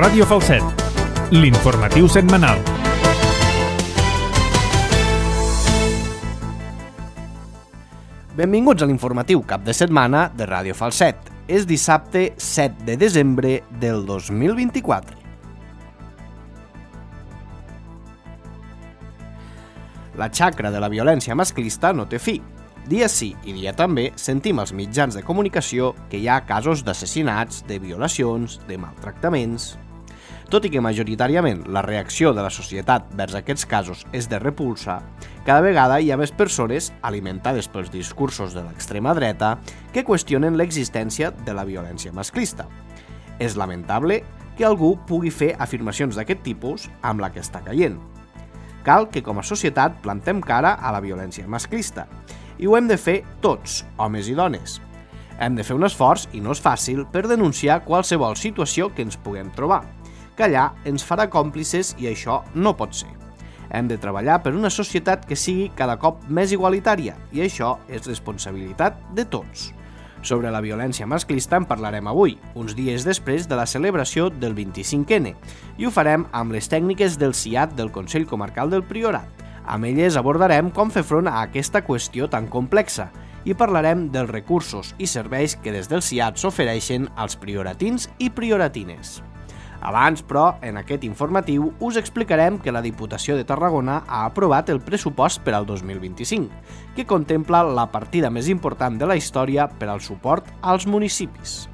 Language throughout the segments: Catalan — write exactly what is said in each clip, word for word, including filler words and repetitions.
Ràdio Falset, l'informatiu setmanal. Benvinguts a l'informatiu cap de setmana de Ràdio Falset. És dissabte set de desembre del dos mil vint-i-quatre. La xacra de la violència masclista no té fi. Dia sí i dia també sentim als mitjans de comunicació que hi ha casos d'assassinats, de violacions, de maltractaments. Tot i que majoritàriament la reacció de la societat vers aquests casos és de repulsa, cada vegada hi ha més persones, alimentades pels discursos de l'extrema dreta, que qüestionen l'existència de la violència masclista. És lamentable que algú pugui fer afirmacions d'aquest tipus amb la que està caient. Cal que com a societat plantem cara a la violència masclista, i ho hem de fer tots, homes i dones. Hem de fer un esforç, i no és fàcil, per denunciar qualsevol situació que ens puguem trobar. Callar ens farà còmplices i això no pot ser. Hem de treballar per una societat que sigui cada cop més igualitària, i això és responsabilitat de tots. Sobre la violència masclista en parlarem avui, uns dies després de la celebració del vint-i-cinc ene, i ho farem amb les tècniques del C I A T del Consell Comarcal del Priorat. Amb elles abordarem com fer front a aquesta qüestió tan complexa i parlarem dels recursos i serveis que des del C I A T s'ofereixen als prioratins i prioratines. Abans, però, en aquest informatiu us explicarem que la Diputació de Tarragona ha aprovat el pressupost per al dos mil vint-i-cinc, que contempla la partida més important de la història per al suport als municipis.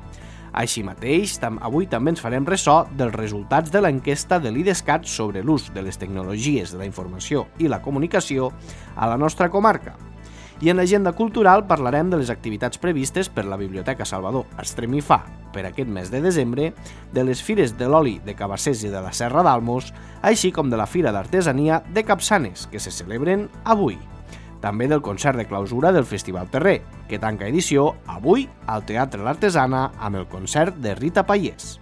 Així mateix, avui també ens farem ressò dels resultats de l'enquesta de l'IDESCAT sobre l'ús de les tecnologies de la informació i la comunicació a la nostra comarca. I en l'agenda cultural parlarem de les activitats previstes per la Biblioteca Salvador Estremifà per aquest mes de desembre, de les fires de l'oli de Cabassers i de la Serra d'Almos, així com de la Fira d'Artesania de Capçanes, que se celebren avui. També del concert de clausura del Festival Terrer, que tanca edició avui al Teatre L'Artesana amb el concert de Rita Pallés.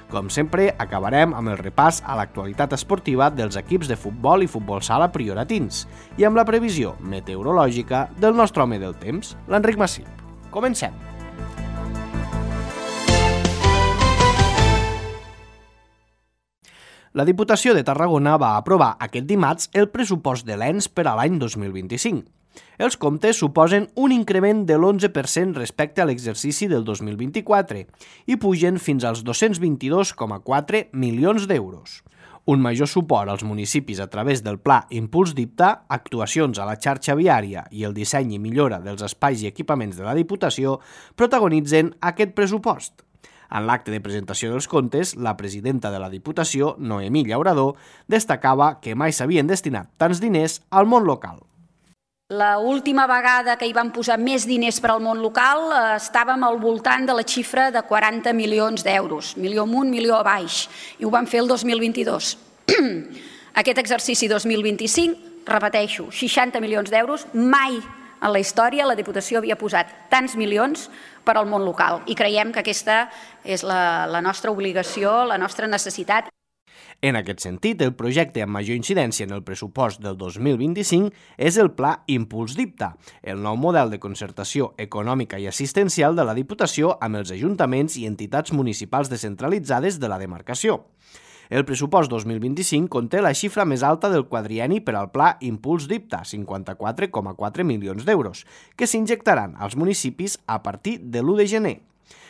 Com sempre, acabarem amb el repàs a l'actualitat esportiva dels equips de futbol i futbol sala prioratins i amb la previsió meteorològica del nostre home del temps, l'Enric Massip. Comencem! La Diputació de Tarragona va aprovar aquest dimarts el pressupost de l'E N S per a l'any dos mil vint-i-cinc. Els comptes suposen un increment de l'onze per cent respecte a l'exercici del dos mil vint-i-quatre i pugen fins als dos-cents vint-i-dos coma quatre milions d'euros. Un major suport als municipis a través del Pla Impuls d'Ipta, actuacions a la xarxa viària i el disseny i millora dels espais i equipaments de la Diputació protagonitzen aquest pressupost. En l'acte de presentació dels comptes, la presidenta de la Diputació, Noemí Llaurador, destacava que mai s'havien destinat tants diners al món local. La última vegada que hi van posar més diners per al món local eh, estàvem al voltant de la xifra de quaranta milions d'euros, milió amunt, milió a baix, i ho vam fer el dos mil vint-i-dos. Aquest exercici dos mil vint-i-cinc, repeteixo, seixanta milions d'euros, mai en la història la Diputació havia posat tants milions per al món local i creiem que aquesta és la, la nostra obligació, la nostra necessitat. En aquest sentit, el projecte amb major incidència en el pressupost del dos mil vint-i-cinc és el Pla Impuls d'Ipta, el nou model de concertació econòmica i assistencial de la Diputació amb els ajuntaments i entitats municipals descentralitzades de la demarcació. El pressupost dos mil vint-i-cinc conté la xifra més alta del quadrienni per al Pla Impuls d'Ipta, cinquanta-quatre coma quatre milions d'euros, que s'injectaran als municipis a partir de l'u de gener.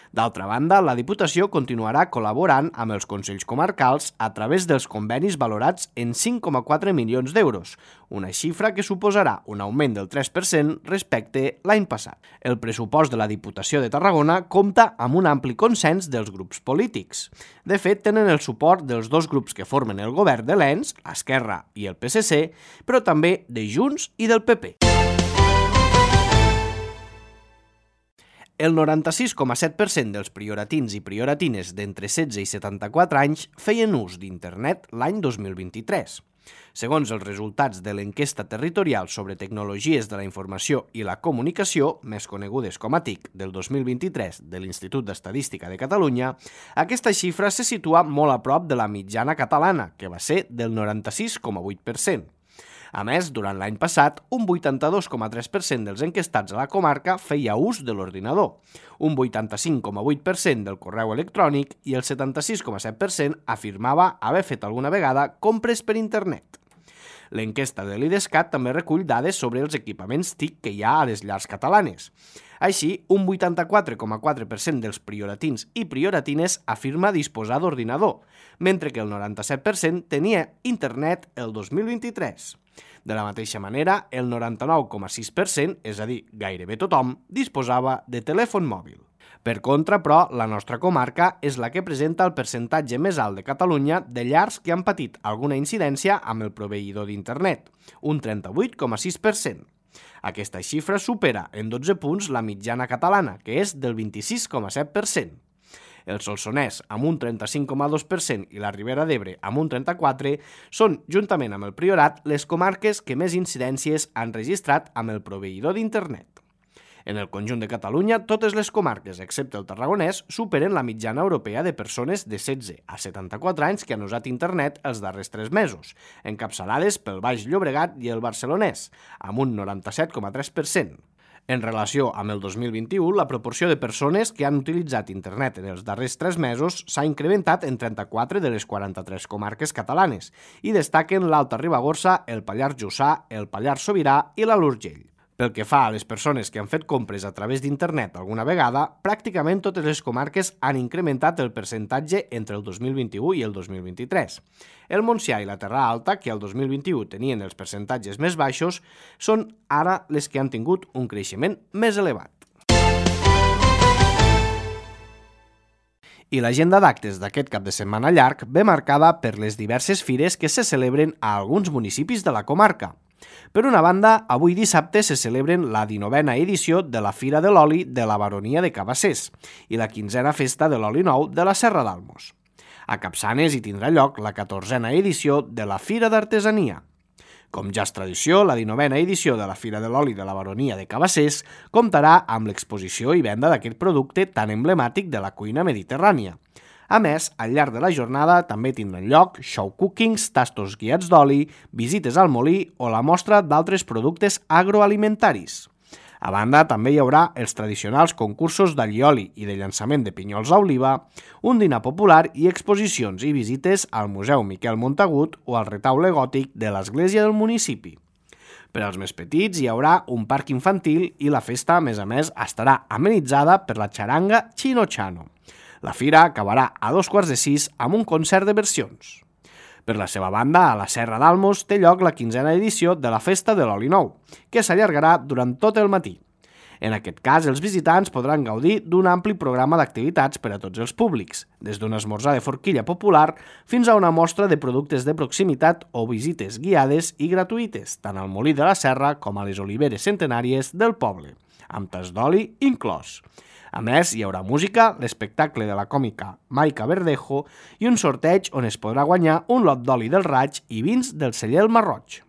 D'altra banda, la Diputació continuarà col·laborant amb els Consells Comarcals a través dels convenis valorats en cinc coma quatre milions d'euros, una xifra que suposarà un augment del tres per cent respecte l'any passat. El pressupost de la Diputació de Tarragona compta amb un ampli consens dels grups polítics. De fet, tenen el suport dels dos grups que formen el govern de l'E N S, l'Esquerra i el P S C, però també de Junts i del P P. El noranta-sis coma set per cent dels prioratins i prioratines d'entre setze i setanta-quatre anys feien ús d'internet l'any dos mil vint-i-tres. Segons els resultats de l'enquesta territorial sobre tecnologies de la informació i la comunicació, més conegudes com a T I C, del dos mil vint-i-tres de l'Institut d'Estadística de Catalunya, aquesta xifra se situa molt a prop de la mitjana catalana, que va ser del noranta-sis coma vuit per cent. A més, durant l'any passat, un vuitanta-dos coma tres per cent dels enquestats a la comarca feia ús de l'ordinador, un vuitanta-cinc coma vuit per cent del correu electrònic i el setanta-sis coma set per cent afirmava haver fet alguna vegada compres per internet. L'enquesta de l'IDESCAT també recull dades sobre els equipaments T I C que hi ha a les llars catalanes. Així, un vuitanta-quatre coma quatre per cent dels prioratins i prioratines afirma disposar d'ordinador, mentre que el noranta-set per cent tenia internet el dos mil vint-i-tres. De la mateixa manera, el noranta-nou coma sis per cent, és a dir, gairebé tothom, disposava de telèfon mòbil. Per contra, però, la nostra comarca és la que presenta el percentatge més alt de Catalunya de llars que han patit alguna incidència amb el proveïdor d'internet, un trenta-vuit coma sis per cent. Aquesta xifra supera en dotze punts la mitjana catalana, que és del vint-i-sis coma set per cent. El Solsonès, amb un trenta-cinc coma dos per cent, i la Ribera d'Ebre, amb un trenta-quatre per cent, són, juntament amb el Priorat, les comarques que més incidències han registrat amb el proveïdor d'internet. En el conjunt de Catalunya, totes les comarques, excepte el Tarragonès, superen la mitjana europea de persones de setze a setanta-quatre anys que han usat internet els darrers tres mesos, encapçalades pel Baix Llobregat i el Barcelonès, amb un noranta-set coma tres per cent. En relació amb el dos mil vint-i-u, la proporció de persones que han utilitzat internet en els darrers tres mesos s'ha incrementat en trenta-quatre de les quaranta-tres comarques catalanes i destaquen l'Alta Ribagorça, el Pallars Jussà, el Pallars Sobirà i l'Alt Urgell. Pel que fa a les persones que han fet compres a través d'internet alguna vegada, pràcticament totes les comarques han incrementat el percentatge entre el dos mil vint-i-u i el dos mil vint-i-tres. El Montsià i la Terra Alta, que el dos mil vint-i-u tenien els percentatges més baixos, són ara les que han tingut un creixement més elevat. I l'agenda d'actes d'aquest cap de setmana llarg ve marcada per les diverses fires que se celebren a alguns municipis de la comarca. Per una banda, avui dissabte se celebren la dinovena edició de la Fira de l'Oli de la Baronia de Cabassers i la quinzena Festa de l'Oli Nou de la Serra d'Almos. A Capçanes hi tindrà lloc la catorzena edició de la Fira d'Artesania. Com ja és tradició, la dinovena edició de la Fira de l'Oli de la Baronia de Cabassers comptarà amb l'exposició i venda d'aquest producte tan emblemàtic de la cuina mediterrània. A més, al llarg de la jornada també tindran lloc show cookings, tastos guiats d'oli, visites al molí o la mostra d'altres productes agroalimentaris. A banda, també hi haurà els tradicionals concursos d'allioli i de llançament de pinyols a oliva, un dinar popular i exposicions i visites al Museu Miquel Montagut o al retaule gòtic de l'església del municipi. Per als més petits hi haurà un parc infantil i la festa, a més a més, estarà amenitzada per la xaranga Chino Chano. La fira acabarà a dos quarts de sis amb un concert de versions. Per la seva banda, a la Serra d'Almos té lloc la quinzena edició de la Festa de l'Oli Nou, que s'allargarà durant tot el matí. En aquest cas, els visitants podran gaudir d'un ampli programa d'activitats per a tots els públics, des d'un esmorzar de forquilla popular fins a una mostra de productes de proximitat o visites guiades i gratuïtes, tant al Molí de la Serra com a les oliveres centenàries del poble, amb tas d'oli inclòs. A més, hi haurà música, l'espectacle de la còmica Maica Verdejo i un sorteig on es podrà guanyar un lot d'oli del Raig i vins del celler El Marroig.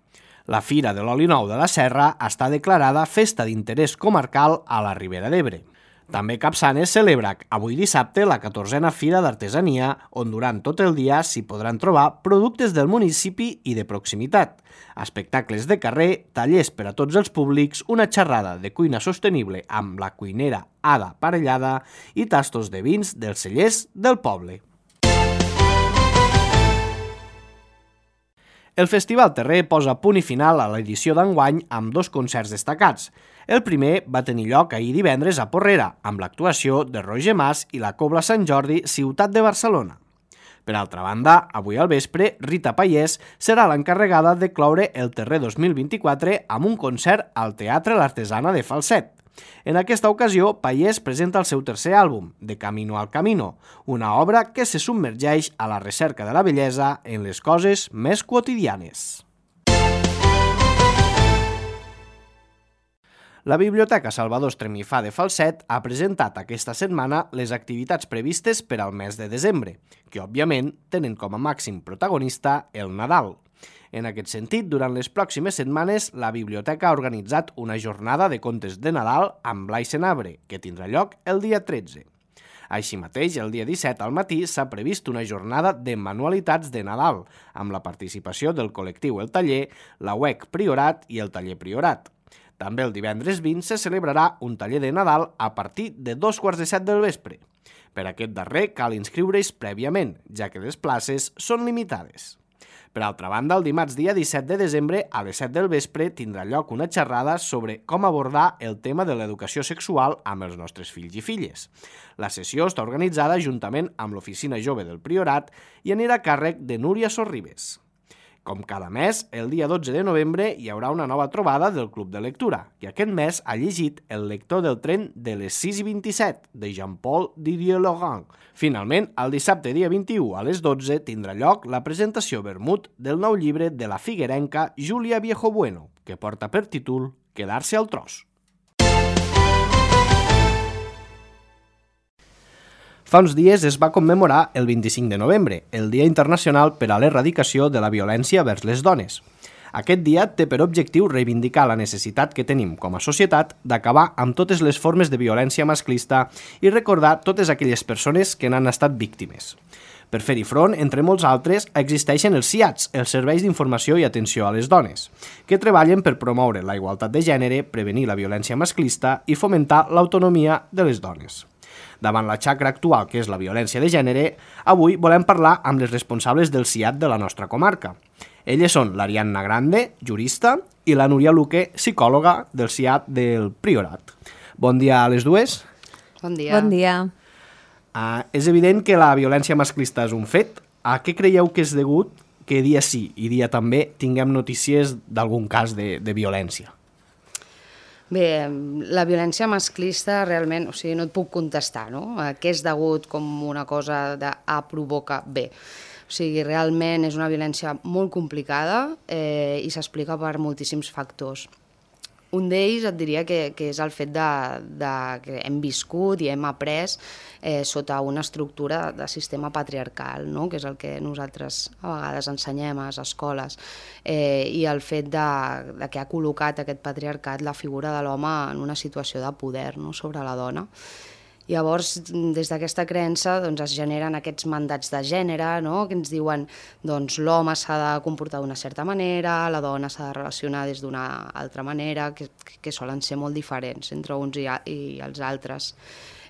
La Fira de l'Oli Nou de la Serra està declarada Festa d'Interès Comarcal a la Ribera d'Ebre. També Capçanes celebra avui dissabte la catorzena Fira d'Artesania, on durant tot el dia s'hi podran trobar productes del municipi i de proximitat, espectacles de carrer, tallers per a tots els públics, una xerrada de cuina sostenible amb la cuinera Ada Parellada i tastos de vins dels cellers del poble. El Festival Terrer posa punt i final a l'edició d'enguany amb dos concerts destacats. El primer va tenir lloc ahir divendres a Porrera, amb l'actuació de Roger Mas i la Cobla Sant Jordi, Ciutat de Barcelona. Per altra banda, avui al vespre, Rita Payés serà l'encarregada de cloure el Terrer dos mil vint-i-quatre amb un concert al Teatre L'Artesana de Falset. En aquesta ocasió, Payés presenta el seu tercer àlbum, De Camino al Camino, una obra que se submergeix a la recerca de la bellesa en les coses més quotidianes. La Biblioteca Salvador Estremifà de Falset ha presentat aquesta setmana les activitats previstes per al mes de desembre, que, òbviament, tenen com a màxim protagonista el Nadal. En aquest sentit, durant les pròximes setmanes, la biblioteca ha organitzat una jornada de contes de Nadal amb Blai Senabre, que tindrà lloc el dia tretze. Així mateix, el dia disset al matí s'ha previst una jornada de manualitats de Nadal, amb la participació del col·lectiu El Taller, la U E C Priorat i el Taller Priorat. També el divendres vint se celebrarà un taller de Nadal a partir de dos quarts de set del vespre. Per aquest darrer cal inscriure's prèviament, ja que les places són limitades. Per altra banda, el dimarts dia disset de desembre a les set del vespre tindrà lloc una xerrada sobre com abordar el tema de l'educació sexual amb els nostres fills i filles. La sessió està organitzada juntament amb l'Oficina Jove del Priorat i anirà a càrrec de Núria Sorribes. Com cada mes, el dia dotze de novembre hi haurà una nova trobada del Club de Lectura, que aquest mes ha llegit El lector del tren de les sis i vint-i-set, de Jean-Paul Didier-Laurent. Finalment, el dissabte dia vint-i-u a les dotze tindrà lloc la presentació vermut del nou llibre de la figuerenca Júlia Viejobueno, que porta per títol Quedar-se al tros. Fa uns dies es va commemorar el vint-i-cinc de novembre, el Dia Internacional per a l'Erradicació de la Violència vers les Dones. Aquest dia té per objectiu reivindicar la necessitat que tenim com a societat d'acabar amb totes les formes de violència masclista i recordar totes aquelles persones que n'han estat víctimes. Per fer-hi front, entre molts altres, existeixen els C I A Ts, els Serveis d'Informació i Atenció a les Dones, que treballen per promoure la igualtat de gènere, prevenir la violència masclista i fomentar l'autonomia de les dones. Davant la xacra actual, que és la violència de gènere, avui volem parlar amb les responsables del C I A T de la nostra comarca. Elles són l'Ariadna Grande, jurista, i la Núria Luque, psicòloga del C I A T del Priorat. Bon dia a les dues. Bon dia. Bon dia. Uh, és evident que la violència masclista és un fet. A què creieu que és degut que dia sí i dia també tinguem notícies d'algun cas de, de violència? Bé, la violència masclista realment, o sigui, no et puc contestar, no? Què és degut com una cosa de A provoca B. O sigui, realment és una violència molt complicada eh, i s'explica per moltíssims factors. Un d'ells et diria que, que és el fet de, de que hem viscut i hem après eh, sota una estructura de sistema patriarcal, no? Que és el que nosaltres a vegades ensenyem a les escoles, eh, i el fet de, de que ha col·locat aquest patriarcat la figura de l'home en una situació de poder, no? Sobre la dona. Llavors, des d'aquesta creença doncs, es generen aquests mandats de gènere, no? Que ens diuen doncs, l'home s'ha de comportar d'una certa manera, la dona s'ha de relacionar des d'una altra manera, que, que solen ser molt diferents entre uns i, i els altres.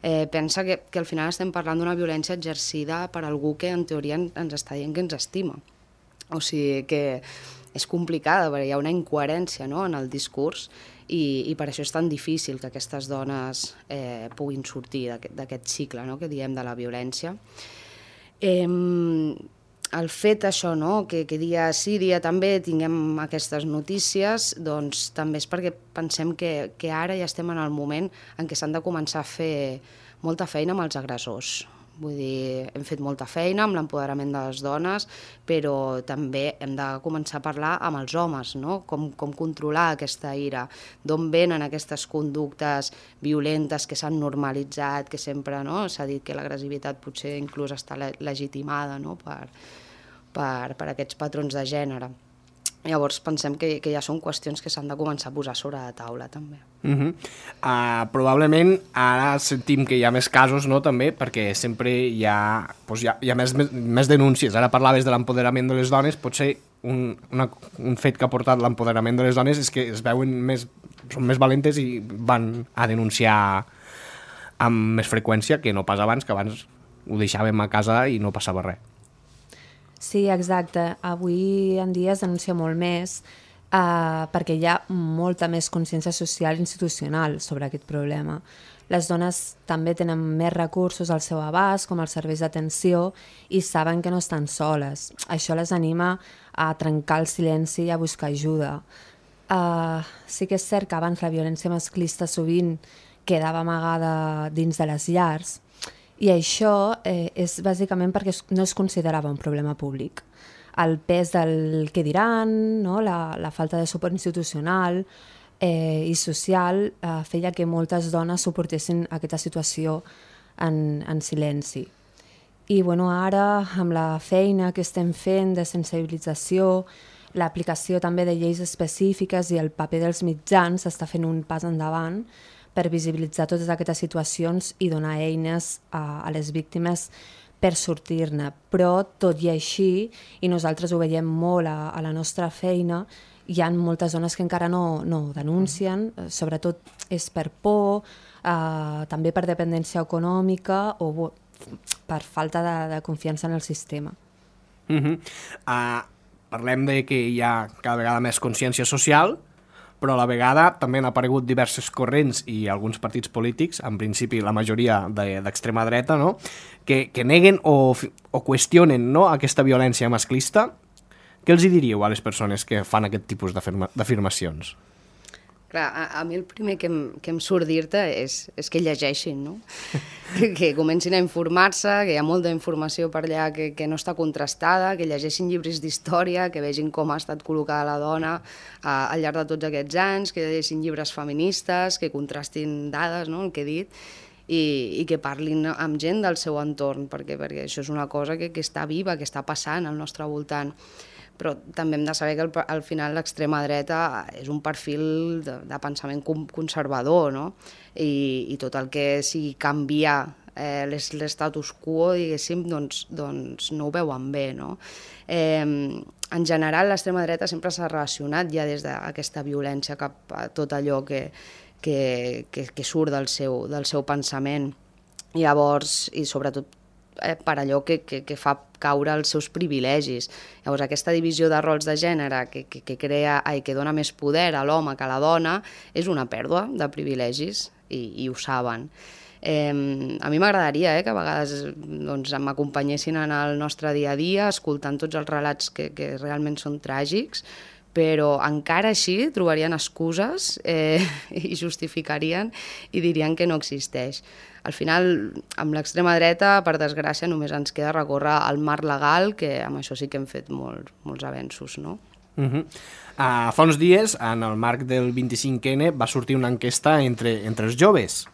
Eh, pensa que, que al final estem parlant d'una violència exercida per algú que en teoria ens està dient que ens estima. O sigui que és complicada, perquè hi ha una incoherència, no? En el discurs, i, i per això és tan difícil que aquestes dones eh, puguin sortir d'aquest cicle, no? Que diem de la violència. Eh, el fet això, no? que, que dia sí, dia també tinguem aquestes notícies, doncs també és perquè pensem que, que ara ja estem en el moment en què s'han de començar a fer molta feina amb els agressors. Vull dir, hem fet molta feina amb l'empoderament de les dones, però també hem de començar a parlar amb els homes, no? Com, com controlar aquesta ira, d'on venen aquestes conductes violentes que s'han normalitzat, que sempre, no? S'ha dit que l'agressivitat potser inclús està legitimada, no? per, per, per aquests patrons de gènere. Llavors pensem que, que ja són qüestions que s'han de començar a posar sobre la taula, també. Uh -huh. uh, probablement ara sentim que hi ha més casos, no?, també, perquè sempre hi ha, doncs hi ha, hi ha més, més, més denúncies. Ara parlaves de l'empoderament de les dones, potser un, una, un fet que ha portat l'empoderament de les dones és que es veuen més, són més valentes i van a denunciar amb més freqüència que no pas abans, que abans ho deixàvem a casa i no passava res. Sí, exacte. Avui en dia es denuncia molt més eh, perquè hi ha molta més consciència social i institucional sobre aquest problema. Les dones també tenen més recursos al seu abast, com els serveis d'atenció, i saben que no estan soles. Això les anima a trencar el silenci i a buscar ajuda. Uh, sí que és cert que abans la violència masclista sovint quedava amagada dins de les llars, i això eh, és bàsicament perquè no es considerava un problema públic. El pes del què diran, no? la, la falta de suport institucional eh, i social eh, feia que moltes dones suportessin aquesta situació en, en silenci. I bueno, ara, amb la feina que estem fent de sensibilització, l'aplicació també de lleis específiques i el paper dels mitjans està fent un pas endavant per visibilitzar totes aquestes situacions i donar eines a, a les víctimes per sortir-ne. Però, tot i així, i nosaltres ho veiem molt a, a la nostra feina, hi ha moltes dones que encara no, no denuncien, sobretot és per por, eh, també per dependència econòmica o per falta de, de confiança en el sistema. Uh -huh. uh, parlem de que hi ha cada vegada més consciència social, però a la vegada també han aparegut diversos corrents i alguns partits polítics, en principi la majoria d'extrema dreta, no? que, que neguen o, o qüestionen, no?, aquesta violència masclista. Què els hi diríeu a les persones que fan aquest tipus d'afirmacions? Clar, a, a mi el primer que em, que em surt dir-te és, és que llegeixin, no? que, que comencin a informar-se, que hi ha molta informació per allà que, que no està contrastada, que llegeixin llibres d'història, que vegin com ha estat col·locada la dona a, al llarg de tots aquests anys, que llegeixin llibres feministes, que contrastin dades, no?, el que he dit, i, i que parlin amb gent del seu entorn, perquè, perquè això és una cosa que, que està viva, que està passant al nostre voltant. Però també hem de saber que al, al final l'extrema dreta és un perfil de, de pensament conservador, no? I, i tot el que sigui canviar eh, l'estatus quo, diguéssim, doncs, doncs no ho veuen bé, no? Eh, en general, l'extrema dreta sempre s'ha relacionat ja des d'aquesta violència cap a tot allò que, que, que, que surt del seu, del seu pensament. Llavors, i sobretot eh, per allò que, que, que fa caure els seus privilegis. Llavors, aquesta divisió de rols de gènere que, que, que crea i que dona més poder a l'home que a la dona és una pèrdua de privilegis i, i ho saben. Eh, a mi m'agradaria eh, que a vegades doncs, m'acompanyessin en el nostre dia a dia escoltant tots els relats que, que realment són tràgics, però encara així trobarien excuses eh, i justificarien i dirien que no existeix. Al final, amb l'extrema dreta, per desgràcia, només ens queda recórrer al marc legal, que amb això sí que hem fet molt, molts avenços, no? Uh -huh. uh, fa uns dies, en el marc del vint-i-cinc ene, va sortir una enquesta entre, entre els joves.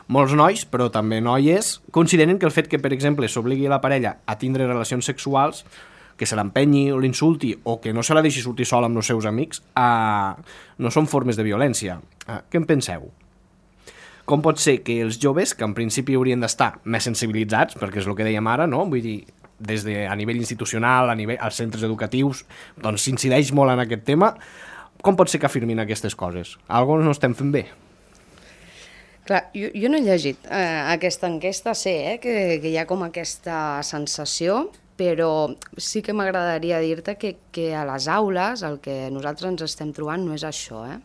Molts nois, però també noies, consideren que el fet que, per exemple, s'obligui la parella a tindre relacions sexuals, que se l'empenyi o l'insulti o que no se la deixi sortir sola amb els seus amics, uh, no són formes de violència. Uh, què en penseu? Com pot ser que els joves, que en principi haurien d'estar més sensibilitzats, perquè és el que dèiem ara, no? Vull dir, des de, a nivell institucional, a nivell, als centres educatius, doncs s'incideix molt en aquest tema, com pot ser que afirmin aquestes coses? Algo no estem fent bé? Clar, jo, jo no he llegit eh, aquesta enquesta, sé eh, que, que hi ha com aquesta sensació, però sí que m'agradaria dir-te que, que a les aules el que nosaltres ens estem trobant no és això, eh?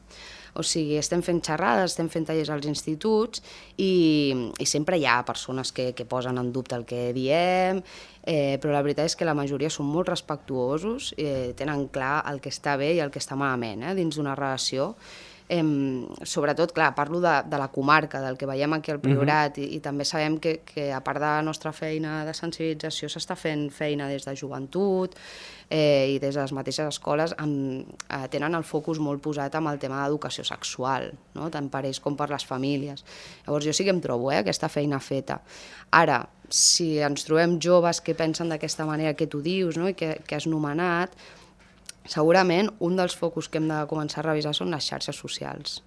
O sigui, estem fent xerrades, estem fent tallers als instituts i, i sempre hi ha persones que, que posen en dubte el que diem, eh, però la veritat és que la majoria són molt respectuosos, eh, tenen clar el que està bé i el que està malament eh, dins d'una relació. Eh, sobretot, clar, parlo de, de la comarca, del que veiem aquí al Priorat, uh-huh. i, i també sabem que, que a part de la nostra feina de sensibilització s'està fent feina des de joventut eh, i des de les mateixes escoles amb, eh, tenen el focus molt posat amb el tema d'educació sexual, no? Tant per ells com per les famílies. Llavors jo sí que em trobo eh, aquesta feina feta. Ara, si ens trobem joves que pensen d'aquesta manera que tu dius, no? I que, que has nomenat, segurament un dels focus que hem de començar a revisar són les xarxes socials.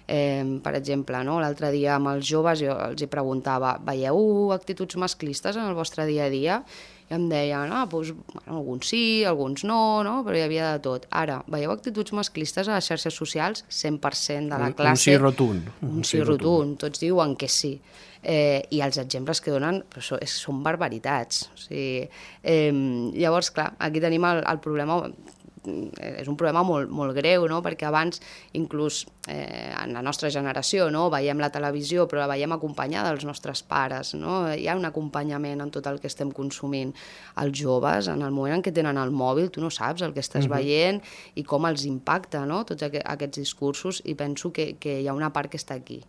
Eh, per exemple, no? L'altre dia amb els joves jo els hi preguntava, veieu actituds masclistes en el vostre dia a dia? I em deien, ah, doncs, bueno, alguns sí, alguns no, no, però hi havia de tot. Ara, veieu actituds masclistes a les xarxes socials? cent per cent de la un, classe... Un sí rotund. Un, un sí rotund. rotund, tots diuen que sí. Eh, I els exemples que donen són, són barbaritats. O sigui, eh, llavors, clar, aquí tenim el, el problema... és un problema molt, molt greu, no? Perquè abans, inclús eh, en la nostra generació, no? Veiem la televisió, però la veiem acompanyada dels nostres pares, no? Hi ha un acompanyament en tot el que estem consumint. Els joves, en el moment en què tenen el mòbil, tu no saps el que estàs uh-huh. veient i com els impacta, no? Tots aqu aquests discursos, i penso que, que hi ha una part que està aquí.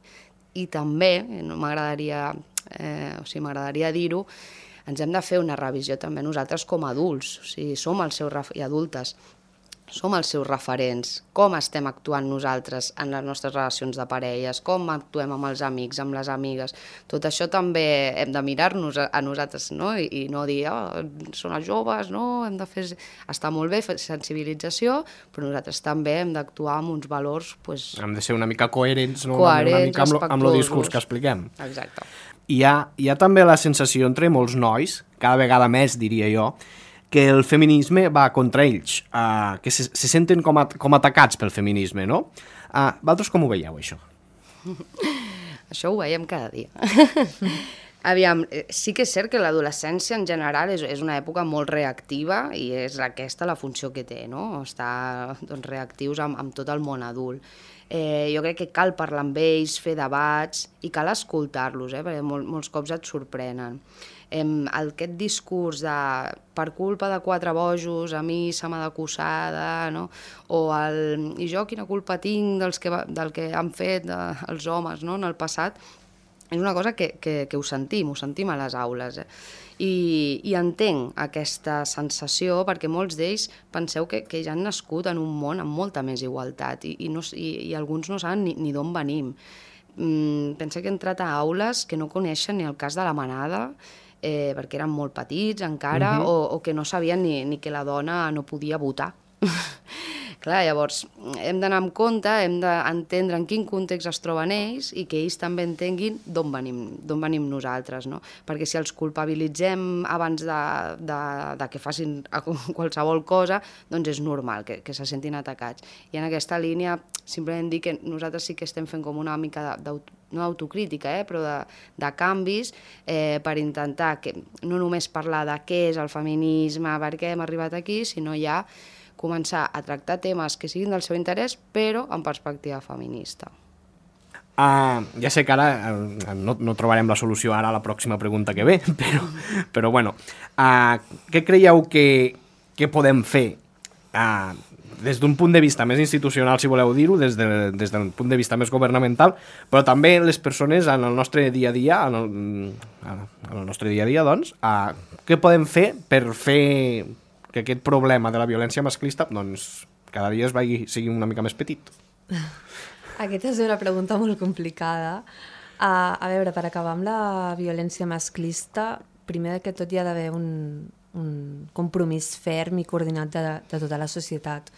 I també, no m'agradaria eh, o sigui, m'agradaria dir-ho, ens hem de fer una revisió també nosaltres com a adults, o sigui, som els seus i adultes, som els seus referents, com estem actuant nosaltres en les nostres relacions de parelles, com actuem amb els amics, amb les amigues. Tot això també hem de mirar-nos a nosaltres, no? I, i no dir, oh, són els joves, no? Hem de fer... Està molt bé fer sensibilització, però nosaltres també hem d'actuar amb uns valors... Pues... Hem de ser una mica coherents, no? Coherents, una mica amb, lo, amb el discurs que expliquem. Exacte. Hi ha, hi ha també la sensació entre molts nois, cada vegada més, diria jo, que el feminisme va contra ells, uh, que se, se senten com, a, com atacats pel feminisme, no? Uh, vosaltres com ho veieu, això? Això ho veiem cada dia. Aviam, sí que és cert que l'adolescència en general és, és una època molt reactiva i és aquesta la funció que té, no? Estar doncs, reactius amb, amb tot el món adult. Eh, jo crec que cal parlar amb ells, fer debats i cal escoltar-los, eh? Perquè mol, molts cops et sorprenen. Eh, aquest discurs de per culpa de quatre bojos a mi se m'ha d'acusar, no? O el, i jo quina culpa tinc dels que, del que han fet de, els homes, no? En el passat, és una cosa que, que, que ho sentim, ho sentim a les aules. Eh? I, I entenc aquesta sensació perquè molts d'ells penseu que, que ja han nascut en un món amb molta més igualtat i, i, no, i, i alguns no saben ni, ni d'on venim. Mm, pensa que he entrat a aules que no coneixen ni el cas de la manada, eh, perquè eren molt petits encara, uh-huh. o, o que no sabien ni, ni que la dona no podia votar. Clar, llavors, hem d'anar amb compte, hem d'entendre en quin context es troben ells i que ells també entenguin d'on venim, d'on venim nosaltres, no? Perquè si els culpabilitzem abans de, de, de que facin qualsevol cosa, doncs és normal que, que se sentin atacats. I en aquesta línia, simplement dir que nosaltres sí que estem fent com una mica d'auto, no d'autocrítica, eh, però de, de canvis eh, per intentar que no només parlar de què és el feminisme, per què hem arribat aquí, sinó ja començar a tractar temes que siguin del seu interès, però en perspectiva feminista. Uh, ja sé que ara uh, no, no trobarem la solució ara a la pròxima pregunta que ve, però, però bueno, uh, què creieu que, que podem fer uh, des d'un punt de vista més institucional, si voleu dir-ho, des, de, des d'un punt de vista més governamental, però també les persones en el nostre dia a dia, en el, en el nostre dia a dia, doncs, uh, què podem fer per fer que aquest problema de la violència masclista doncs, cada dia es vagi, sigui una mica més petit? Aquesta és una pregunta molt complicada. Uh, a veure, per acabar amb la violència masclista, primer que tot hi ha d'haver un, un compromís ferm i coordinat de, de tota la societat.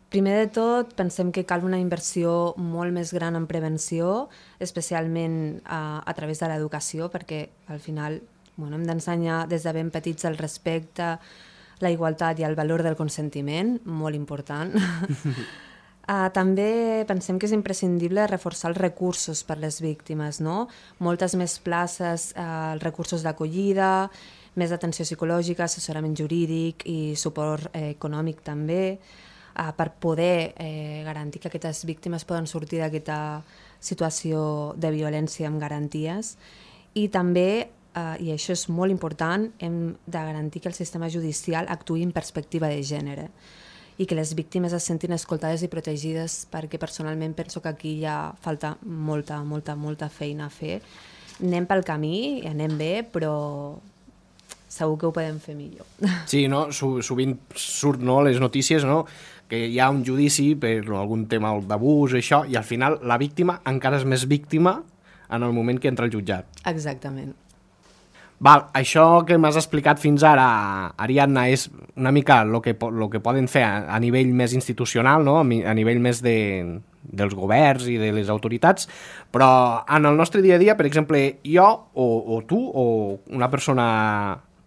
Primer de tot, pensem que cal una inversió molt més gran en prevenció, especialment uh, a través de l'educació, perquè al final bueno, hem d'ensenyar des de ben petits el respecte, la igualtat i el valor del consentiment, molt important. uh, també pensem que és imprescindible reforçar els recursos per les víctimes, no? Moltes més places, uh, els recursos d'acollida, més atenció psicològica, assessorament jurídic i suport eh, econòmic també, uh, per poder eh, garantir que aquestes víctimes poden sortir d'aquesta situació de violència amb garanties. I també Uh, i això és molt important, hem de garantir que el sistema judicial actuï en perspectiva de gènere i que les víctimes es sentin escoltades i protegides, perquè personalment penso que aquí hi ha falta molta, molta, molta feina a fer. Anem pel camí, anem bé, però segur que ho podem fer millor. Sí, no? Sovint surt no, les notícies, no? Que hi ha un judici per algun tema d'abús, això, i al final la víctima encara és més víctima en el moment que entra al jutjat. Exactament. Val, això que m'has explicat fins ara, Ariadna, és una mica el que, lo que poden fer a, a nivell més institucional, no? A nivell més de, dels governs i de les autoritats, però en el nostre dia a dia, per exemple, jo o, o tu o una persona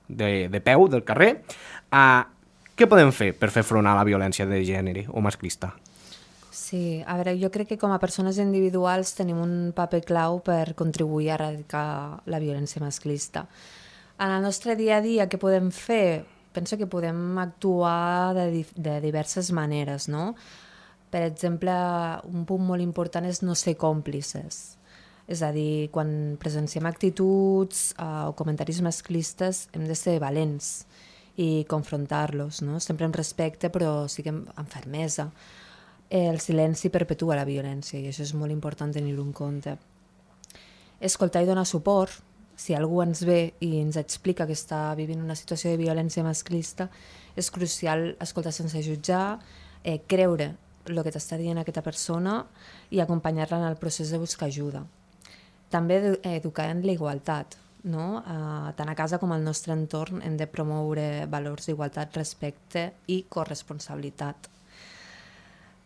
de, de peu del carrer, eh, què podem fer per fer front a la violència de gènere o masclista? Sí, a veure, jo crec que com a persones individuals tenim un paper clau per contribuir a erradicar la violència masclista. En el nostre dia a dia, què podem fer? Penso que podem actuar de, de diverses maneres, no? Per exemple, un punt molt important és no ser còmplices. És a dir, quan presenciem actituds uh, o comentaris masclistes hem de ser valents i confrontar-los, no? Sempre amb respecte, però sí que amb, amb fermesa. El silenci perpetua la violència i això és molt important tenir-ho en compte. Escoltar i donar suport, si algú ens ve i ens explica que està vivint una situació de violència masclista, és crucial escoltar sense jutjar, eh, creure el que t'està dient aquesta persona i acompanyar-la en el procés de buscar ajuda. També educar en la igualtat, no? Eh, tant a casa com al nostre entorn hem de promoure valors d'igualtat, respecte i corresponsabilitat.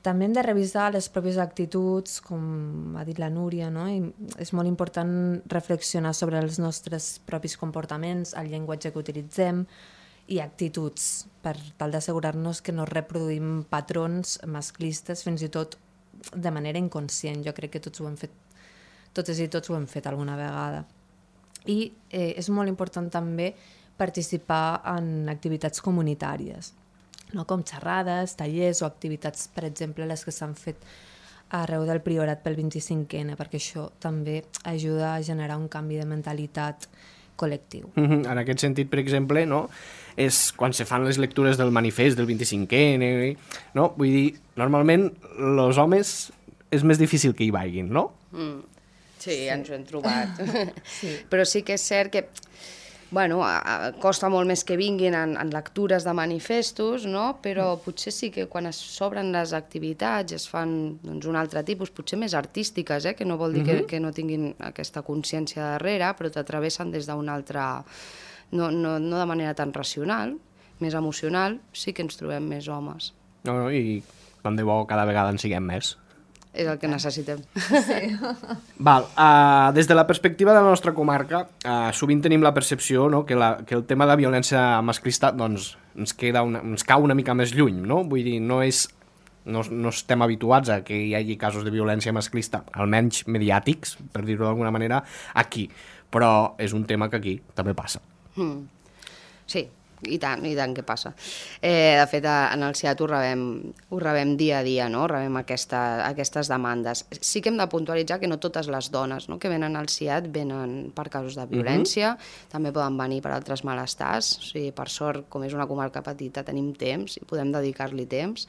També hem de revisar les pròpies actituds, com ha dit la Núria, no? I és molt important reflexionar sobre els nostres propis comportaments, el llenguatge que utilitzem i actituds, per tal d'assegurar-nos que no reproduïm patrons masclistes, fins i tot de manera inconscient. Jo crec que tots ho hem fet, totes i tots ho hem fet alguna vegada. I eh, és molt important també participar en activitats comunitàries, no? Com xerrades, tallers o activitats, per exemple, les que s'han fet arreu del Priorat pel vint-i-cinc ena, perquè això també ajuda a generar un canvi de mentalitat col·lectiu. Mm-hmm. En aquest sentit, per exemple, no? És quan se fan les lectures del manifest del vint-i-cinc ena, no? Vull dir, normalment els homes és més difícil que hi vagin, no? Mm. Sí, sí, ens ho hem trobat. Sí. Però sí que és cert que bueno, a, a, costa molt més que vinguin en, en lectures de manifestos, no? Però potser sí que quan es s'obren les activitats es fan doncs, un altre tipus, potser més artístiques, eh? Que no vol dir uh-huh. que, que no tinguin aquesta consciència darrere, però t'atravessen des d'un altre... No, no, no de manera tan racional, més emocional, sí que ens trobem més homes. No, no, i tant de bo cada vegada en siguem més. És el que necessitem. Sí. Val, uh, des de la perspectiva de la nostra comarca, uh, sovint tenim la percepció, no, que, la, que el tema de la violència masclista doncs, ens, queda una, ens cau una mica més lluny, no? Vull dir, no, és, no, no estem habituats a que hi hagi casos de violència masclista, almenys mediàtics, per dir-ho d'alguna manera, aquí. Però és un tema que aquí també passa. Mm. Sí. I tant, i tant que passa. Eh, de fet, en el C I A T ho rebem, ho rebem dia a dia, no? Rebem aquesta, aquestes demandes. Sí que hem de puntualitzar que no totes les dones, no, que venen al C I A T venen per casos de violència, uh-huh. també poden venir per altres malestars. O sigui, per sort, com és una comarca petita, tenim temps i podem dedicar-li temps.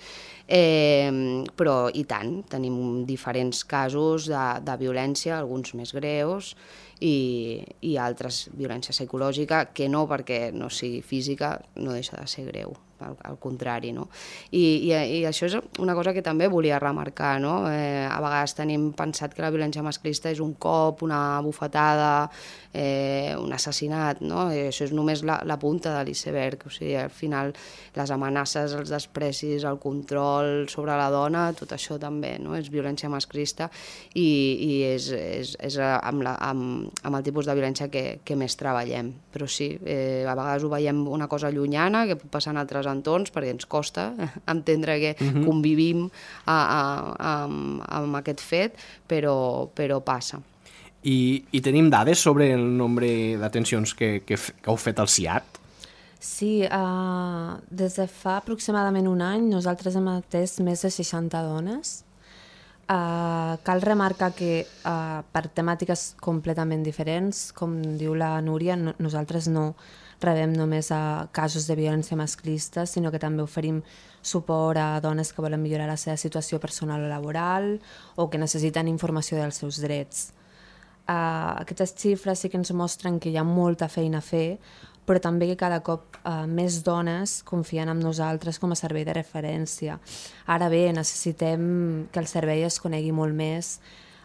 Eh, però, i tant, tenim diferents casos de, de violència, alguns més greus, i, i altres violència psicològica, que no perquè no sigui física, no deixa de ser greu, al, al contrari, no? I, i, I això és una cosa que també volia remarcar, no? Eh, a vegades tenim pensat que la violència masclista és un cop, una bufetada, eh, un assassinat, no? I això és només la, la punta de l'iceberg, o sigui, al final les amenaces, els desprecis, el control sobre la dona, tot això també, no? És violència masclista i, i és, és, és amb, la, amb, amb el tipus de violència que, que més treballem. Però sí, eh, a vegades ho veiem una cosa llunyana, que pot passar en altres entorns, perquè ens costa entendre que uh-huh. convivim a, a, a, amb aquest fet, però, però passa. I, I tenim dades sobre el nombre d'atencions que, que, que heu fet al C I A T? Sí, uh, des de fa aproximadament un any nosaltres hem atès més de seixanta dones. Uh, cal remarcar que uh, per temàtiques completament diferents, com diu la Núria, no, nosaltres no rebem només a casos de violència masclista, sinó que també oferim suport a dones que volen millorar la seva situació personal o laboral o que necessiten informació dels seus drets. Uh, aquestes xifres sí que ens mostren que hi ha molta feina a fer, però també que cada cop uh, més dones confien en nosaltres com a servei de referència. Ara bé, necessitem que el servei es conegui molt més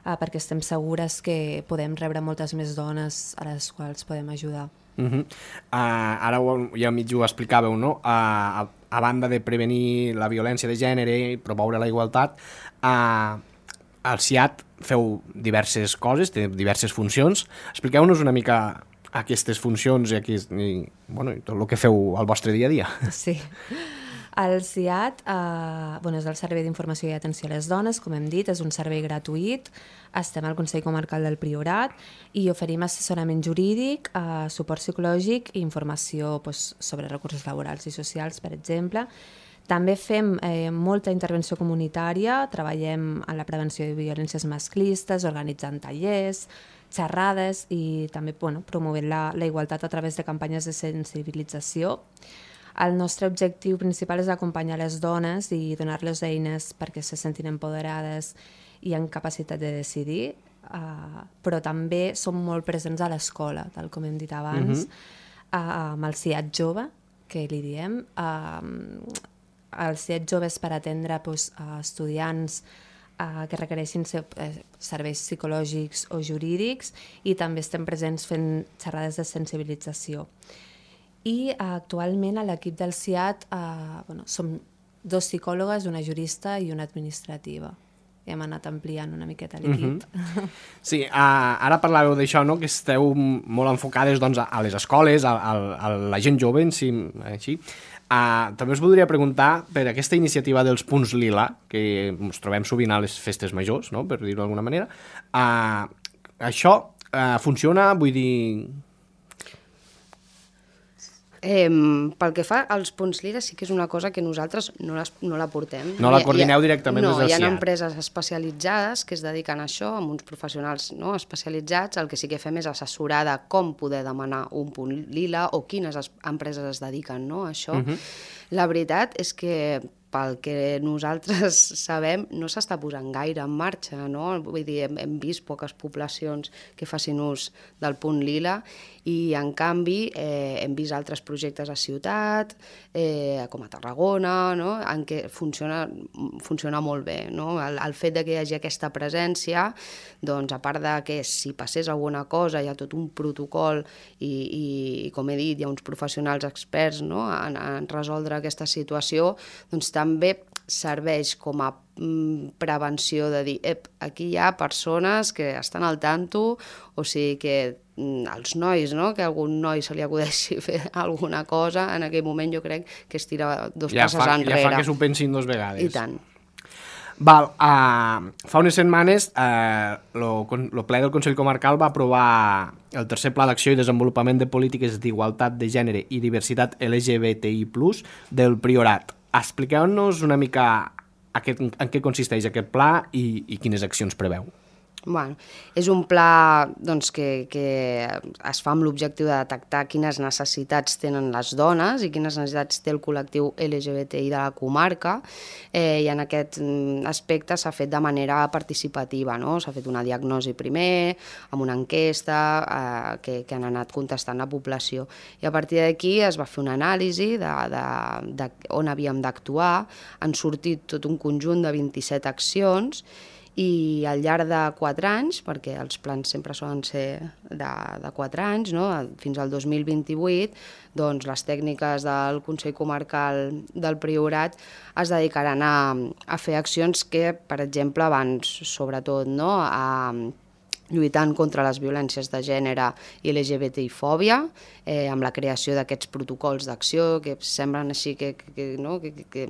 uh, perquè estem segures que podem rebre moltes més dones a les quals podem ajudar. Uh-huh. uh, ara ja mig ho explicàveu, no? Uh, a, a banda de prevenir la violència de gènere i promoure la igualtat, uh, al C I A T feu diverses coses, té diverses funcions. Expliqueu-nos una mica aquestes funcions i, aquí, i, bueno, i tot el que feu al vostre dia a dia. Sí. El C I A T eh, bueno, és el Servei d'Informació i Atenció a les Dones, com hem dit, és un servei gratuït. Estem al Consell Comarcal del Priorat i oferim assessorament jurídic, eh, suport psicològic i informació pues, sobre recursos laborals i socials, per exemple. També fem eh, molta intervenció comunitària, treballem en la prevenció de violències masclistes, organitzant tallers, xerrades i també bueno, promovent la, la igualtat a través de campanyes de sensibilització. El nostre objectiu principal és acompanyar les dones i donar-les eines perquè se sentin empoderades i amb capacitat de decidir. uh, però també som molt presents a l'escola, tal com hem dit abans, uh-huh. uh, amb el C I A T jove, que li diem. Uh, el C I A T jove és per atendre pues, uh, estudiants uh, que requereixin ser, uh, serveis psicològics o jurídics, i també estem presents fent xerrades de sensibilització. I uh, actualment a l'equip del C I A T uh, bueno, som dos psicòlogues, una jurista i una administrativa. Hem anat ampliant una miqueta l'equip. Uh-huh. Sí, uh, ara parlàveu d'això, no? Que esteu molt enfocades doncs, a les escoles, a, a, a la gent jove, en si, així. Uh, també us voldria preguntar per aquesta iniciativa dels punts lila, que ens trobem sovint a les festes majors, no? Per dir-ho d'alguna manera. Uh, això uh, funciona, vull dir... Eh, pel que fa als punts lila, sí que és una cosa que nosaltres no, les, no la portem. No la coordineu directament no, des del C I A T? No, hi ha C I A T. empreses especialitzades que es dediquen a això, amb uns professionals no, especialitzats. El que sí que fem és assessorar de com poder demanar un punt lila o quines es, empreses es dediquen no, a això. Uh-huh. La veritat és que pel que nosaltres sabem, no s'està posant gaire en marxa, no? Vull dir, hem, hem vist poques poblacions que facin ús del punt lila i, en canvi, eh, hem vist altres projectes a ciutat, eh, com a Tarragona, no? En què funciona, funciona molt bé, no? El, el fet de que hi hagi aquesta presència, doncs, a part de que si passés alguna cosa hi ha tot un protocol i, i, i com he dit, hi ha uns professionals experts no? en, en resoldre aquesta situació, doncs també serveix com a mm, prevenció de dir, ep, aquí hi ha persones que estan al tanto, o sigui que mm, els nois, no? Que a algun noi se li acudeixi fer alguna cosa, en aquell moment jo crec que es tira dos ja passes fa, enrere. Ja fa que s'ho pensin dos vegades. I tant. Val, uh, fa unes setmanes uh, lo, lo ple del Consell Comarcal va aprovar el tercer Pla d'Acció i Desenvolupament de Polítiques d'Igualtat de Gènere i Diversitat L G B T I plus, del Priorat. Expliqueu-nos una mica aquest, en què consisteix aquest pla i, i quines accions preveu. Bueno, és un pla doncs, que, que es fa amb l'objectiu de detectar quines necessitats tenen les dones i quines necessitats té el col·lectiu L G B T I de la comarca, eh, i en aquest aspecte s'ha fet de manera participativa, no? S'ha fet una diagnosi primer, amb una enquesta eh, que, que han anat contestant la població, i a partir d'aquí es va fer una anàlisi de, de, de on havíem d'actuar. Han sortit tot un conjunt de vint-i-set accions, i al llarg de quatre anys, perquè els plans sempre solen ser de, de quatre anys, no? Fins al dos mil vint-i-vuit, doncs les tècniques del Consell Comarcal del Priorat es dedicaran a, a fer accions que, per exemple, van sobretot no? a lluitant contra les violències de gènere i L G B T I-fòbia, eh, amb la creació d'aquests protocols d'acció, que semblen així que, que, que, no? que, que, que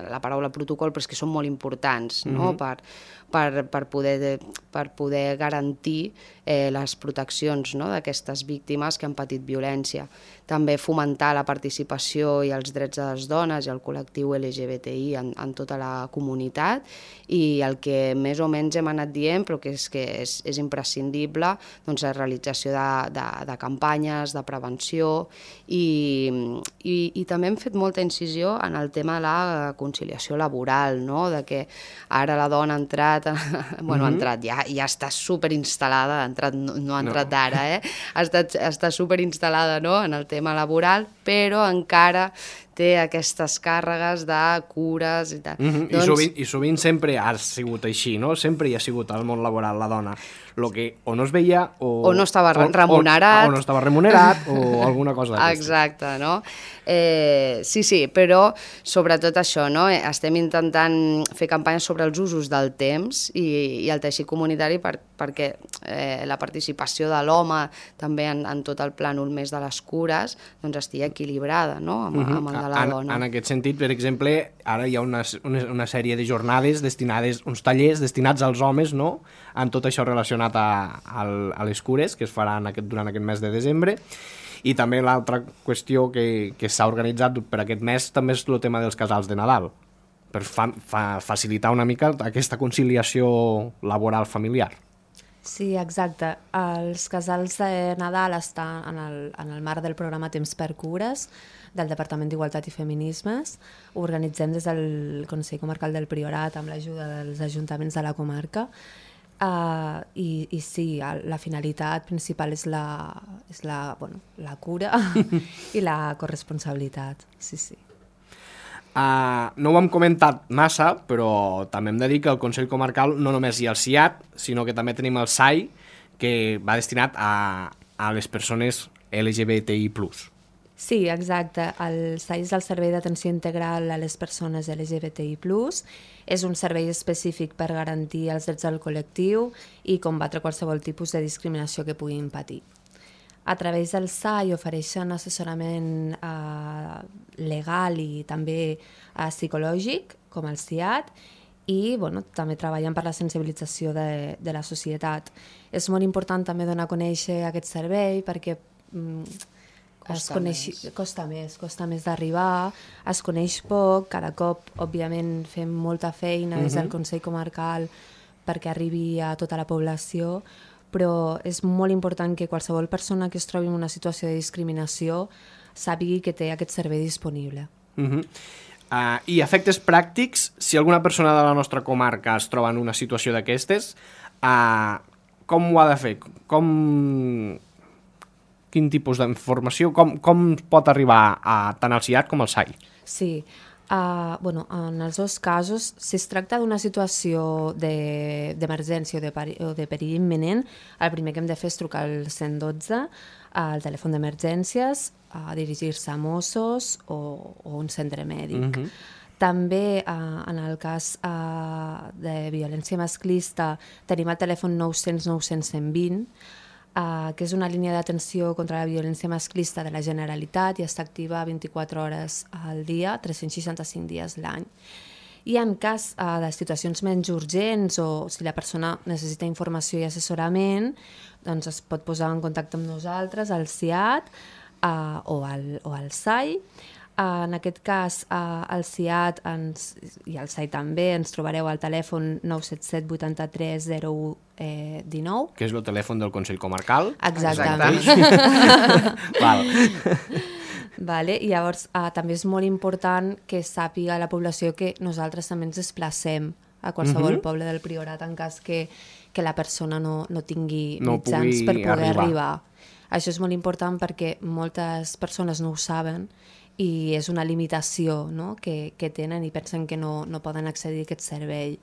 la paraula protocol, però és que són molt importants, no? Mm-hmm. per, per, per, poder, per poder garantir eh, les proteccions no? d'aquestes víctimes que han patit violència. També fomentar la participació i els drets de les dones i el col·lectiu L G B T I en, en tota la comunitat, i el que més o menys hem anat dient, però que és que és, és imprescindible, doncs la realització de, de, de campanyes, de prevenció, i, i, i també hem fet molta incisió en el tema de la conciliació laboral, no? De que ara la dona ha entrat, bueno, mm-hmm. ha entrat, ja, ja està superinstal·lada, ha entrat, no, no ha entrat no. ara, eh? ha estat, està superinstal·lada no? en el tema laboral, però encara té aquestes càrregues de cures i tal. Mm-hmm. Doncs... I, sovint, I sovint sempre ha sigut així, no? Sempre hi ha sigut al món laboral la dona. Lo que o no es veia o... O no estava o, remunerat. O, o no estava remunerat o alguna cosa d'aquesta. Exacte, no? Eh, sí, sí, però sobretot això, no? Estem intentant fer campanyes sobre els usos del temps i, i el teixit comunitari per, perquè eh, la participació de l'home també en, en tot el plànol més de les cures doncs estigui equilibrada, no? Amb, mm-hmm. amb el de la en, dona. En aquest sentit, per exemple, ara hi ha una, una, una sèrie de jornades destinades, uns tallers destinats als homes, no?, en tot això relacionat a, a, a les cures, que es faran aquest, durant aquest mes de desembre. I també l'altra qüestió que, que s'ha organitzat per aquest mes també és el tema dels casals de Nadal, per fa, fa, facilitar una mica aquesta conciliació laboral familiar. Sí, exacte. Els casals de Nadal estan en el, en el marc del programa Temps per Cures del Departament d'Igualtat i Feminismes. Ho organitzem des del Consell Comarcal del Priorat amb l'ajuda dels ajuntaments de la comarca. Uh, i, i sí, la finalitat principal és la, és la, bueno, la cura i la corresponsabilitat, sí, sí. Uh, no ho hem comentat massa, però també hem de dir que el Consell Comarcal no només hi ha el C I A T, sinó que també tenim el S A I, que va destinat a, a les persones L G B T I plus. Sí, exacte. El S A I és el Servei d'Atenció Integral a les Persones L G B T I plus. És un servei específic per garantir els drets del col·lectiu i combatre qualsevol tipus de discriminació que puguin patir. A través del S A I ofereixen assessorament eh, legal i també eh, psicològic, com el C I A T, i bueno, també treballen per la sensibilització de, de la societat. És molt important també donar a conèixer aquest servei perquè mm, Es coneix, costa més, costa més d'arribar, es coneix poc, cada cop, òbviament, fem molta feina uh-huh. des del Consell Comarcal perquè arribi a tota la població, però és molt important que qualsevol persona que es trobi en una situació de discriminació sàpigui que té aquest servei disponible. Uh-huh. Uh, I efectes pràctics, si alguna persona de la nostra comarca es troba en una situació d'aquestes, uh, com ho ha de fer? Com... Quin tipus d'informació, com, com pot arribar a tant al C I A T com al S A I? Sí, uh, bueno, en els dos casos, si es tracta d'una situació d'emergència de, o, de peri, o de perill imminent, el primer que hem de fer és trucar al cent dotze, al telèfon d'emergències, a dirigir-se a Mossos o, o un centre mèdic. Uh-huh. També, eh, en el cas eh, de violència masclista, tenim el telèfon nou cents nou cents cent vint, Uh, que és una línia d'atenció contra la violència masclista de la Generalitat i està activa vint-i-quatre hores al dia, tres cents seixanta-cinc dies l'any. I en cas uh, de situacions menys urgents o si la persona necessita informació i assessorament, doncs es pot posar en contacte amb nosaltres, al C I A T uh, o, al, o al S A I. Uh, en aquest cas, uh, el C I A T ens, i el S A I també ens trobareu al telèfon nou set set vuitanta-tres zero u dinou. Que és el telèfon del Consell Comarcal. Exactament. Val. Vale, i llavors uh, també és molt important que sàpiga la població que nosaltres també ens desplacem a qualsevol uh-huh. poble del Priorat en cas que, que la persona no, no tingui no mitjans per poder arribar. arribar. Això és molt important perquè moltes persones no ho saben i és una limitació, no? que, que tenen i pensen que no, no poden accedir a aquest servei.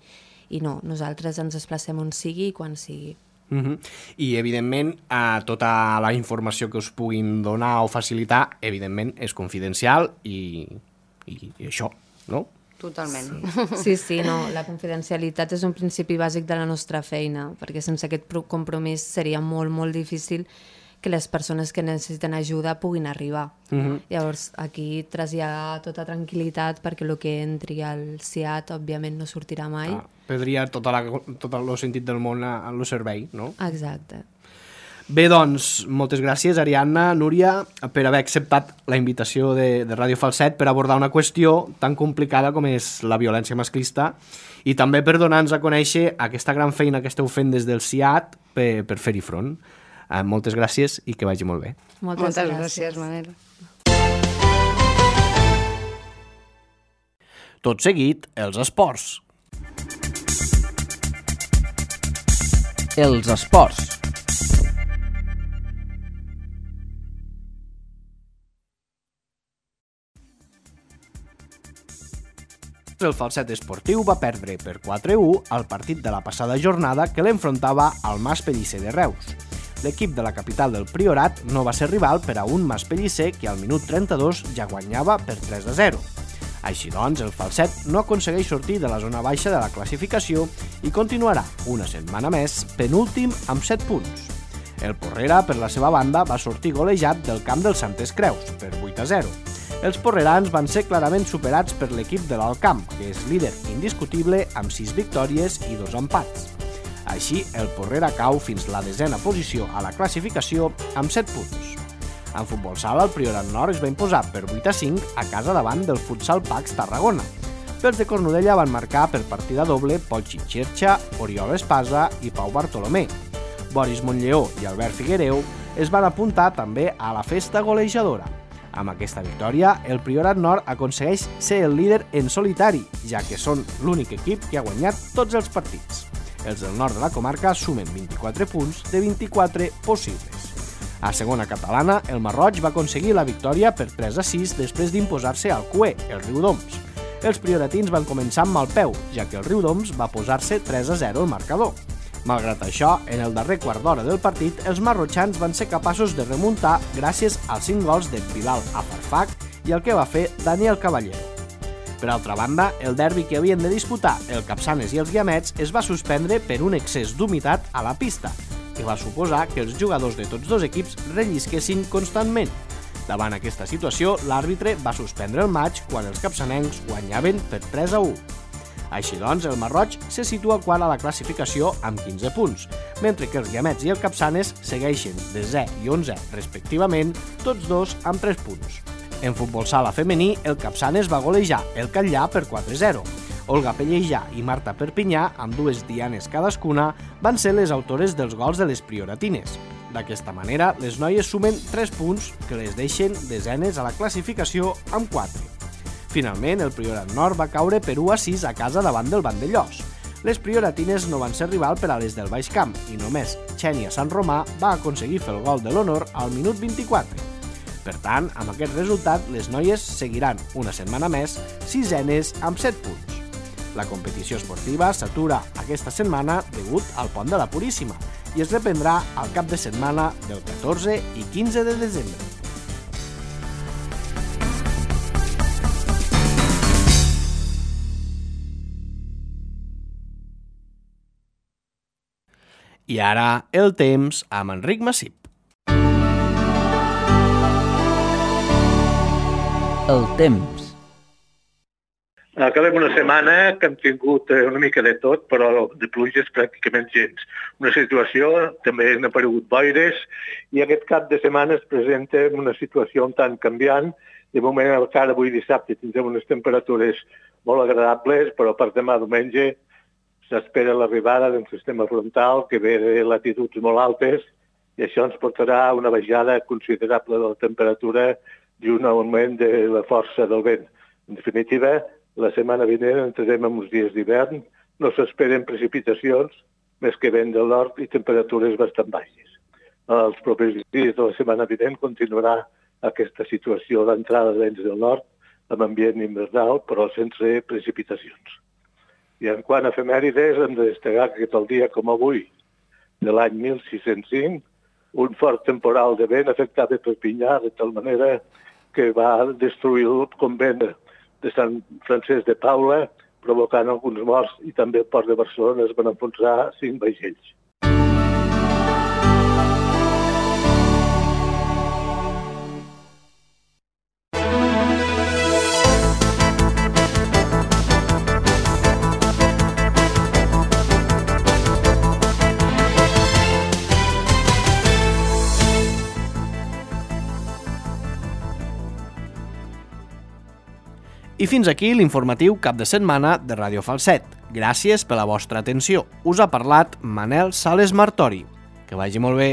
I no, nosaltres ens desplacem on sigui i quan sigui. Uh-huh. I, evidentment, eh, tota la informació que us puguin donar o facilitar, evidentment, és confidencial i, i, i això, no? Totalment. Sí, sí, no, la confidencialitat és un principi bàsic de la nostra feina, perquè sense aquest compromís seria molt, molt difícil que les persones que necessiten ajuda puguin arribar. Uh-huh. Llavors, aquí traslladar tota tranquil·litat perquè el que entri al C I A T, òbviament, no sortirà mai. Ah, perdria tot el sentit del món al servei, no? Exacte. Bé, doncs, moltes gràcies, Ariadna, Núria, per haver acceptat la invitació de, de Ràdio Falset per abordar una qüestió tan complicada com és la violència masclista i també per donar-nos a conèixer aquesta gran feina que esteu fent des del C I A T per, per fer-hi front. Uh, moltes gràcies i que vagi molt bé. Moltes, moltes gràcies, gràcies Manel. Tot seguit, els esports. Els esports. El Falset Esportiu va perdre per quatre a u al partit de la passada jornada que l'enfrontava al Mas Pellicer de Reus. L'equip de la capital del Priorat no va ser rival per a un Mas Pellicer que al minut trenta-dos ja guanyava per tres a zero. Així doncs, el Falset no aconsegueix sortir de la zona baixa de la classificació i continuarà una setmana més penúltim amb set punts. El Porrera, per la seva banda, va sortir golejat del camp del Santes Creus per vuit a zero. Els porrerans van ser clarament superats per l'equip de l'Alcamp, que és líder indiscutible amb sis victòries i dos empats. Així, el Porrera cau fins la desena posició a la classificació amb set punts. En futbol sala, el Priorat Nord es va imposar per vuit a cinc a casa davant del Futsal Pax Tarragona. Els de Cornudella van marcar per partida doble Pochi Xerxa, Oriol Espasa i Pau Bartolomé. Boris Montllleó i Albert Figuereu es van apuntar també a la festa golejadora. Amb aquesta victòria, el Priorat Nord aconsegueix ser el líder en solitari, ja que són l'únic equip que ha guanyat tots els partits. Els del nord de la comarca sumen vint-i-quatre punts de vint-i-quatre possibles. A segona catalana, el Marroig va aconseguir la victòria per tres a sis després d'imposar-se al Cué, el Riudoms. Els prioratins van començar amb mal peu, ja que el Riudoms va posar-se tres a zero al marcador. Malgrat això, en el darrer quart d'hora del partit, els marrotxans van ser capaços de remuntar gràcies als cinc gols de Bilal Afarfak i el que va fer Daniel Caballero. Per altra banda, el derbi que havien de disputar el Capçanes i els Guiamets es va suspendre per un excés d'humitat a la pista, que va suposar que els jugadors de tots dos equips rellisquessin constantment. Davant aquesta situació, l'àrbitre va suspendre el maig quan els capçanencs guanyaven per tres a u. Així doncs, el Marroig se situa quart a la classificació amb quinze punts, mentre que els Guiamets i el Capçanes segueixen desè i onzè respectivament, tots dos amb tres punts. En futbol sala femení, el Capçanes va golejar el Catllà per quatre a zero. Olga Pellejà i Marta Perpinyà, amb dues dianes cadascuna, van ser les autores dels gols de les prioratines. D'aquesta manera, les noies sumen tres punts que les deixen desenes a la classificació amb quatre. Finalment, el Priorat Nord va caure per u a sis a casa davant del Vandellós. Les prioratines no van ser rival per a les del Baix Camp i només Xènia Sant Romà va aconseguir fer el gol de l'honor al minut vint-i-quatre. Per tant, amb aquest resultat, les noies seguiran una setmana més sisenes amb set punts. La competició esportiva s'atura aquesta setmana degut al Pont de la Puríssima i es reprendrà al cap de setmana del catorze i quinze de desembre. I ara, el temps amb Enric Massip. El temps. Acabem una setmana que hem tingut una mica de tot, però de pluges pràcticament gens. Una situació, també han aparegut boires, i aquest cap de setmana es presenta una situació un tant canviant. De moment, encara avui dissabte tindrem unes temperatures molt agradables, però per demà diumenge s'espera l'arribada d'un sistema frontal que ve de latituds molt altes i això ens portarà a una baixada considerable de la temperatura i un augment de la força del vent. En definitiva, la setmana vinent entrarem en uns dies d'hivern, no s'esperen precipitacions, més que vent del nord i temperatures bastant baixes. Els propers dies de la setmana vinent continuarà aquesta situació d'entrada de vents del nord amb ambient invernal, però sense precipitacions. I en quant a efemèrides, hem de destacar que tal dia com avui, de l'any mil sis-cents cinc, un fort temporal de vent afectava Perpinyà de tal manera que va destruir el convent de Sant Francesc de Paula, provocant alguns morts, i també al port de Barcelona es van enfonsar cinc vaixells. I fins aquí l'informatiu cap de setmana de Ràdio Falset. Gràcies per la vostra atenció. Us ha parlat Manel Sales Martori. Que vagi molt bé.